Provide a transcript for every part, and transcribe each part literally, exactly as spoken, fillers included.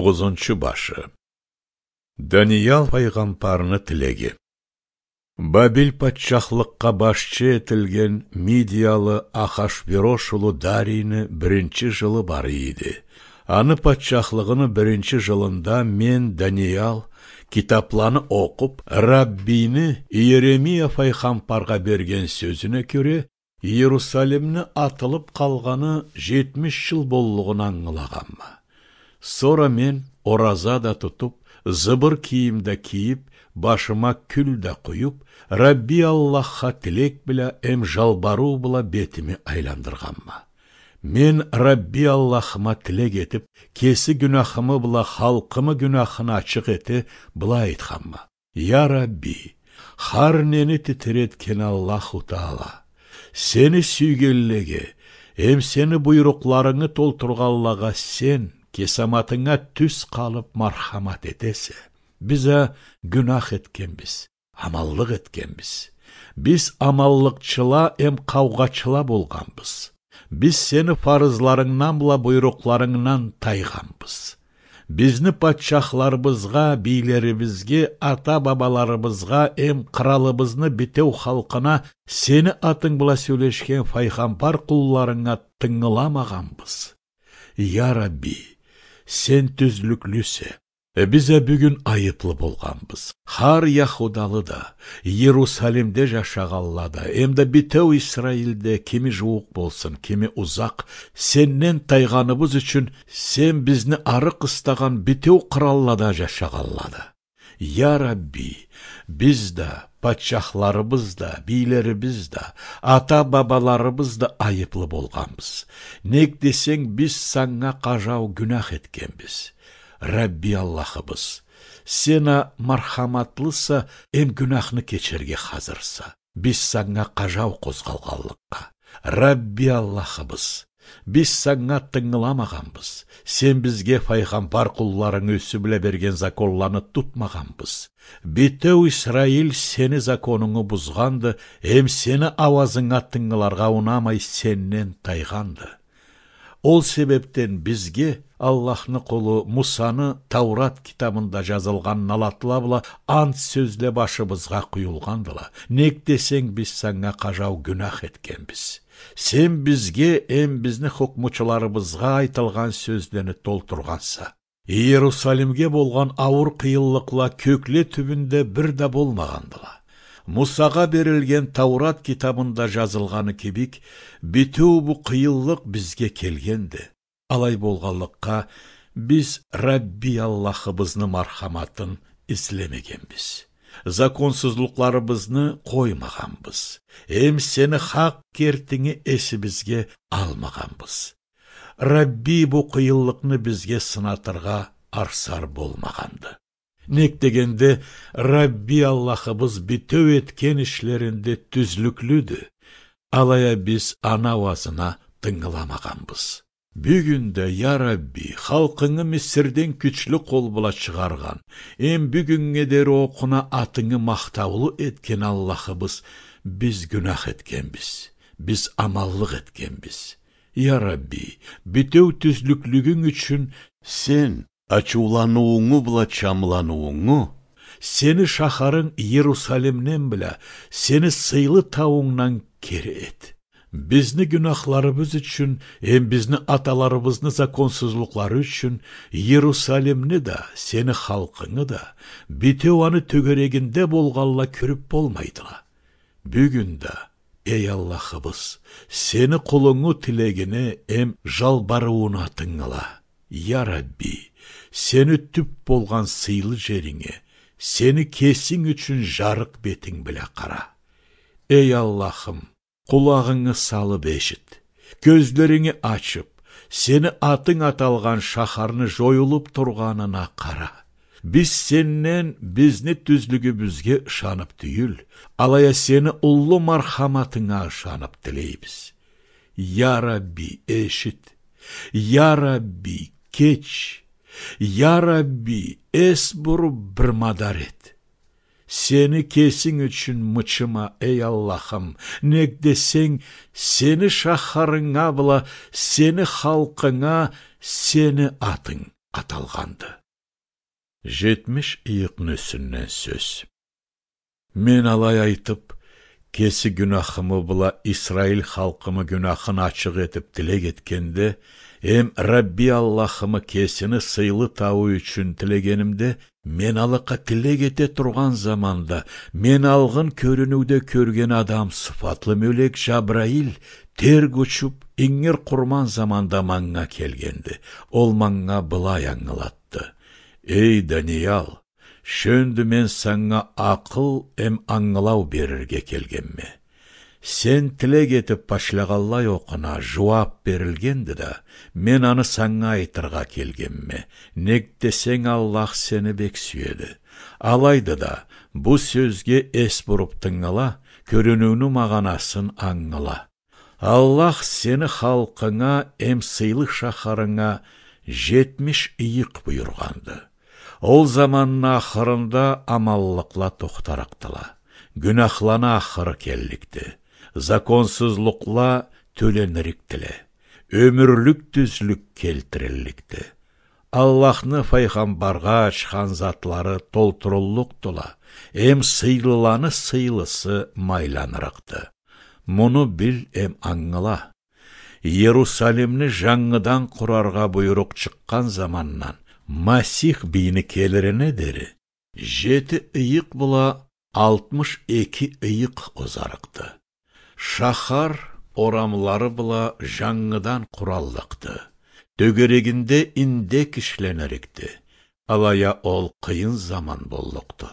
Токъузунчу башы. Даниял файгъамбарны тилеги. Бабил патчахлыкъгъа башчы этилген мидиялы Ахашверош улу Дарийни биринчи жылы бары эди. Аны патчахлыгъыны биринчи жылында мен, Даниял, китапланы окъуп, Раббини Иеремия файгъамбаргъа берген сёзюне кёре, Иерусалимни атылып къалгъаны жетмиш жыл боллугъун ангылагъанма. Сора мен ораза да тутуп, зыбыр кийим да кийип, башыма кюл да къуюп, Рабби Аллахха тилек бла эм жалбарыу бла бетими айландыргъанма. Мен Рабби Аллахыма тилек этип, кеси гюнахымы бла халкъымы гюнахын ачыкъ эте, былай айтханма: Я Рабби, хар нени титиретген Аллаху Таала, сени сюйгенлеге эм сени буйрукъларынгы толтургъанлагъа сен кесаматынга тюз къалып мархамат этесе. Биз а гюнах этгенбиз, аманлыкъ этгенбиз. Биз аманлыкъчыла эм къаугъачыла болгъанбыз. Биз сени фарызларынгдан бла буйрукъларынгдан тайгъанбыз. Бизни патчахларыбызгъа, бийлерибизге, ата-бабаларыбызгъа эм къыралыбызны битеу халкъына сени атынг бла сёлешген файгъамбар къулларынга тынгыламагъанбыз. Я Рабби, сен тюзлюклюсе. Э, биз а бюгюн айыплы болгъанбыз. Хар яхудалы да, Иерусалимде жашагъанла да, эмда битеу Исраилде кими жууукъ болсун, кими узакъ, сенден тайгъаныбыз ючюн сен бизни ары къыстагъан битеу къыраллада жашагъанла да. Я Рабби, биз да, патчахларыбыз да, бийлерибиз да, ата-бабаларыбыз да айыплы болгъанбыз. Нек десенг, биз санга къажау гюнах этгенбиз. Рабби Аллахыбыз, сен а мархаматлыса, эм гюнахны кечерге хазырса. Биз санга къажау къозгъалгъанлыкъгъа. Рабби Аллахыбыз, биз санга тынгыламагъанбыз. Сен бизге файгъамбар къулларынг юсю бла берген законланы тутмагъанбыз. Битеу Исраил сени законунгу бузгъанды, эм сени ауазынга тынгыларгъа унамай, сенден тайгъанды. Ол себепден бизге Аллахны къулу Мусаны Таурат китабында жазылгъан налатла бла ант сёзле башыбызгъа къуюлгъандыла. Нек десенг, биз санга къажау гюнах этгенбиз. Сен бизге эм бизни хукмучуларыбызгъа айтылгъан сёзлени толтургъанса. Иерусалимге болгъан ауур къыйынлыкъла кёкле тюбюнде бир да болмагъандыла. Мусагъа берилген Таурат китабында жазылгъаны кибик, битеу бу къыйынлыкъ бизге келгенди. Алай болгъанлыкъгъа, биз Рабби Аллахыбызны мархаматын излемегенбиз. Законсузлукъларыбызны къоймагъанбыз. Эм сени хакъ кертинги эсибизге алмагъанбыз. Рабби бу къыйынлыкъны бизге сынатыргъа арсар болмагъанды. Нек дегенде, Рабби Аллахыбыз битеу этген ишлеринде тюзлюклюдю. Алай а биз аны ауазына тынгыламагъанбыз. Бюгюн да, я Рабби, халкъынгы Мисирден кючлю къол бла чыгъаргъан, эм бюгюннге дери окъуна атынгы махтаулу этген Аллахыбыз, биз гюнах этгенбиз, биз аманлыкъ этгенбиз. Я Рабби, битеу тюзлюклюгюнг ючюн сен ачыуланыуунгу бла чамланыуунгу, сени шахарынг Иерусалимден бла сени сыйлы таунгдан кери эт. Бизни гюнахларыбыз ючюн, эм бизни аталарыбызны законсузлукълары ючюн Иерусалимни да, сени халкъынгы да, битеу аны тёгерегинде болгъанла кюрюп болмайдыла. Бюгюн да, эй Аллахыбыз, сени къулунгу тилегине эм жалбарыууна тынгыла. Я Рабби, сени тюп болгъан сыйлы жеринге, сени кесинг ючюн жарыкъ бетинг бла къара. Эй Аллахым, къулагъынгы салып эшит. Кёзлеринги ачып, сени атынг аталгъан шахарны жоюлуп тургъанына къара. Биз сенден бизни тюзлюгюбюзге ышанып тюйюл, алай а сени уллу мархаматынга ышанып тилейбиз. Я Рабби, эшит. Я Рабби, кеч. Я Рабби, эс буруп бир мадар эт. Сени кесинг ючюн мычыма, эй Аллахым, нек десенг, сени шахарынга бла сени халкъынга сени атынг, аталгъанды. Жетмиш ыйыкъны юсюнден сёз. Мен алай айтып, кеси гюнахымы бла Исраил халкъымы гюнахын ачыкъ этип тилек этгенде, эм Рабби Аллахымы кесини сыйлы тауу ючюн тилегенимде, мен алыкъа тилек эте тургъан заманда, мен алгъын кёрюнюуде кёрген адам сыфатлы мёлек Жабраил терк учуп, ингир къурман заманда манга келгенди. Ол манга былай ангылатды: «Эй, Даниял, шёндю мен санга акъыл эм ангылау берирге келгенме. Сен тилек этип башлагъанлай окъуна жууап берилгенди да, мен аны санга айтыргъа келгенме. Нек десенг, Аллах сени бек сюеди. Алайды да, бу сёзге эс буруп тынгыла, кёрюнюуню магъанасын ангыла. Аллах сени халкъынга эм сыйлы шахарынга жетмиш ыйыкъ буюргъанды. Ол заманны ахырында аманлыкъла тохтарыкъдыла. Гюнахланы ахыры келликди. Законсузлукъла тёленирикдиле. Ёмюрлюк тюзлюк келтирилликди. Аллахны файгъамбаргъа ачхан затлары толтуруллукъдула, эм сыйлыланы сыйлысы майланырыкъды. Муну бил эм ангыла. Иерусалимни жангыдан къураргъа буйрукъ чыкъгъан замандан Масих бийни келирине дери жети ыйыкъ бла алтмыш эки ыйыкъ озарыкъды. Шахар орамлары бла жангыдан къураллыкъды. Тёгерегинде индек ишленирикди. Алай а ол къыйын заман боллукъду.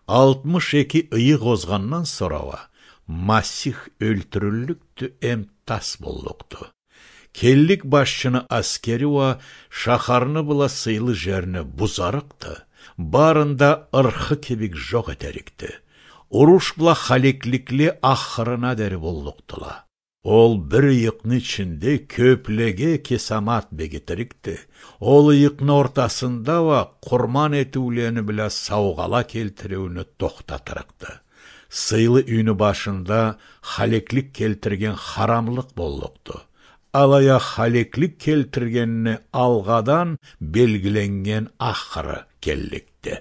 Алтмыш эки ыйыкъ озгъандан сора уа Масих ёлтюрюллюкдю эм тас боллукъду. Келлик башчыны аскери уа шахарны бла сыйлы жерни бузарыкъды, барын да ырхы кибик жокъ этерикди. Уруш бла халекликле ахырына дери боллукъдула. Ол бир ыйыкъны ичинде кёплеге кесамат бегитирикди. Ол ыйыкъны ортасында уа къурман этиулени бла саугъала келтириуню тохтатырыкъды. Сыйлы юйню башында халеклик келтирген харамлыкъ боллукъду. Алай а халеклик келтиргенни алгъадан белгиленнген ахыры келликди.